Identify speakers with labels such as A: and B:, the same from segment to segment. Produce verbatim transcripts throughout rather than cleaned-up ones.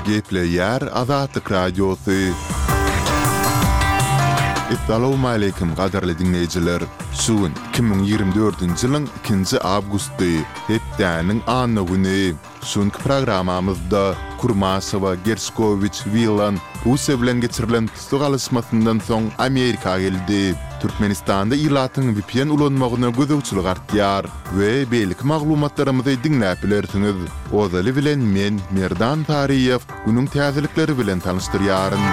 A: Gepleýär Azatlyk Radiosy. Essalawmaleýkim gadyrly diňleýjiler! Şu gün iki müň ýigrimi dördünji ýylyň ikinji awgusty, hepdäniň anna güni. Şu günki programmamyzda Kurmaşewa, Gerşkowiç, Wilan Russiýa bilen geçirilen tussag alyşmasyndan soň Amerika geldi. Türkmenistanda ilatyň vpn ulanmagyna gözegçilik artýar we beýleki maglumatlarymyzy diňläp bilersiňiz. Ozaly bilen men, Merdan Saryýew, günüň täzelikleri bilen tanyşdyrýaryn.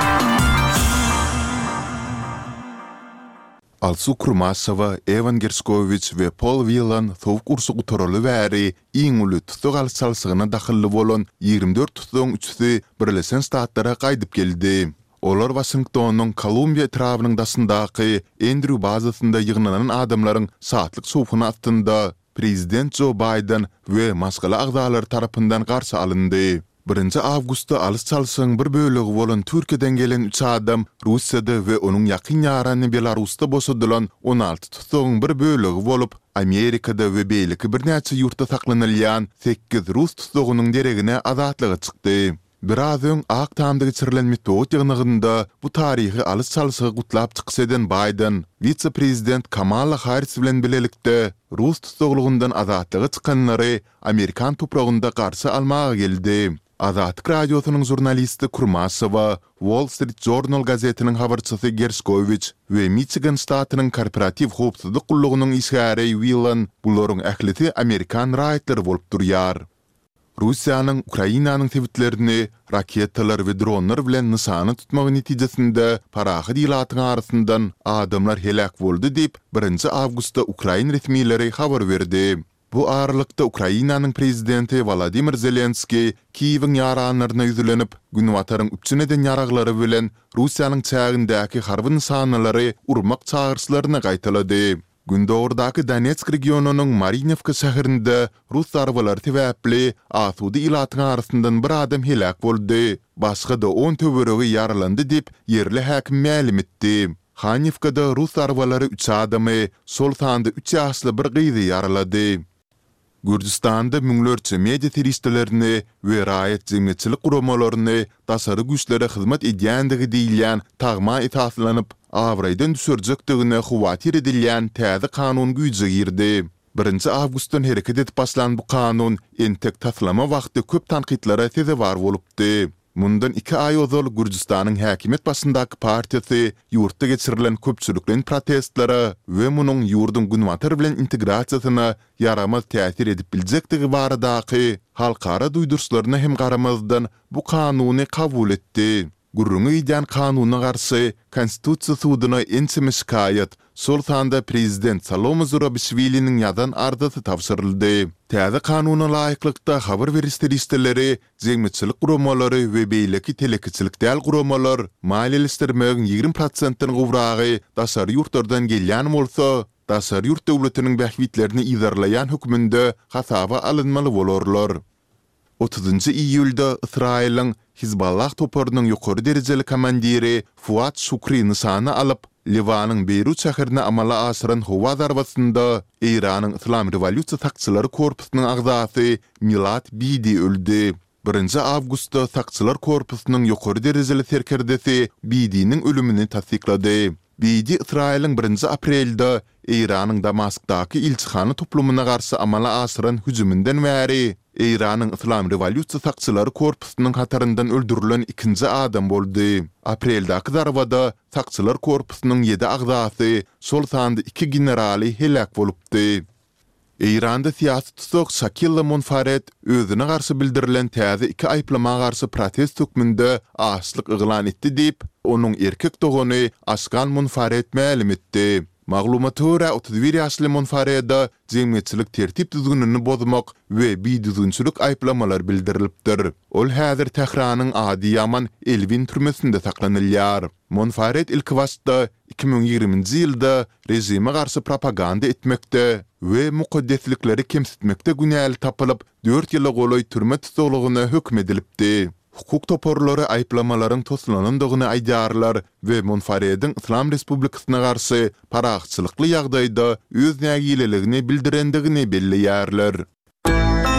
A: Alsu Kurmaşewa, Ewan Gerşkowiç we Pol Wilan Sowuk urşy gutaraly bäri iň uly tussag alyş-çalşygyna dahylly bolan ýigrimi dört tussagyň üçüsi Birleşen Ştatlara gaýdyp geldi. Olar Waşingtonyň Kolumbiýa etrabynyň daşyndaky Endrýu bazasynda ýygnanan adamlaryň şatlyk-şowhuny astynda prezident Jo Baýden we maşgala agzalary tarapyndan garşy alyndy. Birinji awgustda alyş-çalşygyň bir bölegi bolan Türkiýeden gelen üç adam Russiýada we onuň ýakyn ýarany Belarusda boşadylan on alty tussagyň bir bölegi bolup, Amerikada we beýleki birnäçe ýurtda saklanylýan sekiz rus tussagynyň deregine azatlyga çykdy. Biraz öň Ak Tamda geçirilen metbugat ýygnagynda bu taryhy alyş-çalşygy gutlap çykyş eden Baýden, wise-prezident Kamala Harris bilen bilelikde rus tussaglygyndan azatlyga çykanlary amerikan topragynda garşy almaga geldi. Azatlyk Radiosynyň žurnalisti Kurmaşewa, Wall Street Journal gazetiniň habarçysy Gerşkowiç we Miçigan ştatynyň korporatiw howpsuzlyk gullugynyň işgäri Wilan, bularyň ählisi amerikan raýatlary bolup durýar. Russiýanyň Ukrainanyň sebitlerini raketalar we dronlar bilen nyşana tutmagy netijesinde parahat ilatyň arasyndan adamlar heläk boldy diýip, birinji awgustda ukrain resmileri habar berdi. Bu aralykda Ukrainanyň prezidenti Wolodymyr Zelenskiý Kiýewiň ýaranlaryna ýüzlenip, Günbataryň üpjün eden ýaraglary bilen Russiýanyň çägindäki harby nyşanalary urmak çagyryşlaryny gaýtalady. Gündogardaky Donetsk regionynyň Marinewka şäherinde rus zarbalary sebäpli asuda ilatyň arasyndan bir adam heläk boldy, başga-da on töweregi ýaralandy diýip, ýerli häkim mälim etdi. Hanýewkada rus zarbalary üç adamy, şol sanda üç ýaşly bir gyzy ýaralady. Gürjüstanda müňlerçe media serişdelerini we raýat jemgyýetçilik guramalaryny daşary güýçlere hyzmat edýändigi diýilýän tagma esaslanyp, abraýdan düşürjekdigine howatyr edilýän täze kanun güýje girdi. Birinji awgustdan hereket edip başlan bu kanun entek taslama wagty köp tankytlara sezewar bolupdy. Mundan iki aý ozal Gürjüstanyň häkimiýet başyndaky partiýasy ýurtda geçirilen köpçülikleýin protestlere we munuň ýurduň Günbatar bilen integrasiýasyna ýaramaz täsir edip biljekdigi baradaky halkara duýduryşlaryna hem garamazdan bu kanuny kabul etdi. Gürrüňi gidýän kanuna garşy Konstitusiýa suduna ençeme şikaýat, şol sanda prezident Salome Zurabişwiliniň ýazan arzasy tabşyryldy. Täze kanuna laýyklykda habar beriş serişdeleri Jemgyýetçilik guramalary we beýleki telekeçilik däl guramalar maliýeleşdirmegiň ýigrimi prosentden gowragy daşary ýurtlardan gelýän bolsa, daşary ýurt döwletiniň bähbitlerini yzarlaýan hökmünde hasaba alynmaly bolarlar. Otuzynjy iýulda Ysraýylyň Hizballah toparynyň ýokary derejeli komandiri Fuad Şukri nyşana alyp, Liwanyň Beýrut şäherine amala aşyran howa zarbasynda Eýranyň Yslam rewolýusiýa sakçylary korpusynyň agzasy Milad Bidi öldi. Birinji awgustda sakçylar korpusynyň ýokary derejeli serkerdesi Bidiniň ölümini tassyklady. Bidi Ysraýylyň birinji aprelde Eýranyň Damaskdaky ilçihana toplumyna garşy amala aşyran hüjüminden bäri Eýranyň Yslam rewolýusiýa sakçylary korpusynyň hataryndan öldürilen ikinji adam boldy. Apreldäki zarbada sakçylar korpusynyň ýedi agzasy, şol sanda iki generaly heläk bolupdy. Eýranda syýasy tussag Şakilla Monfared özüne garşy bildirilen täze iki aýyplama garşy protest hökmünde açlyk yglan etdi diýip, onuň erkek dogany Aşkan Monfared mälim etdi. Maglumata görä, otuz bir ýaşly Monfarede jemgyýetçilik tertip-düzgünini bozmak we bidüzgünçilik aýyplamalary bildirilipdir. Ol häzir Tähranyň Adyýaman Elwin türmesinde saklanylýar. Monfared ilkibaşda iki müň ýigriminji ýylda režime garşy propaganda etmekde we mukaddeslikleri kemsitmekde günäli tapylyp, dört ýyla golaý türme tussaglygyna höküm edilipdi. Hukuk toparlary aýyplamalaryň toslanandygyny aýdýarlar we Monfarediň Yslam Respublikasyna garşy parahatçylykly ýagdaýda öz nägileligini bildirendigini belleýärler.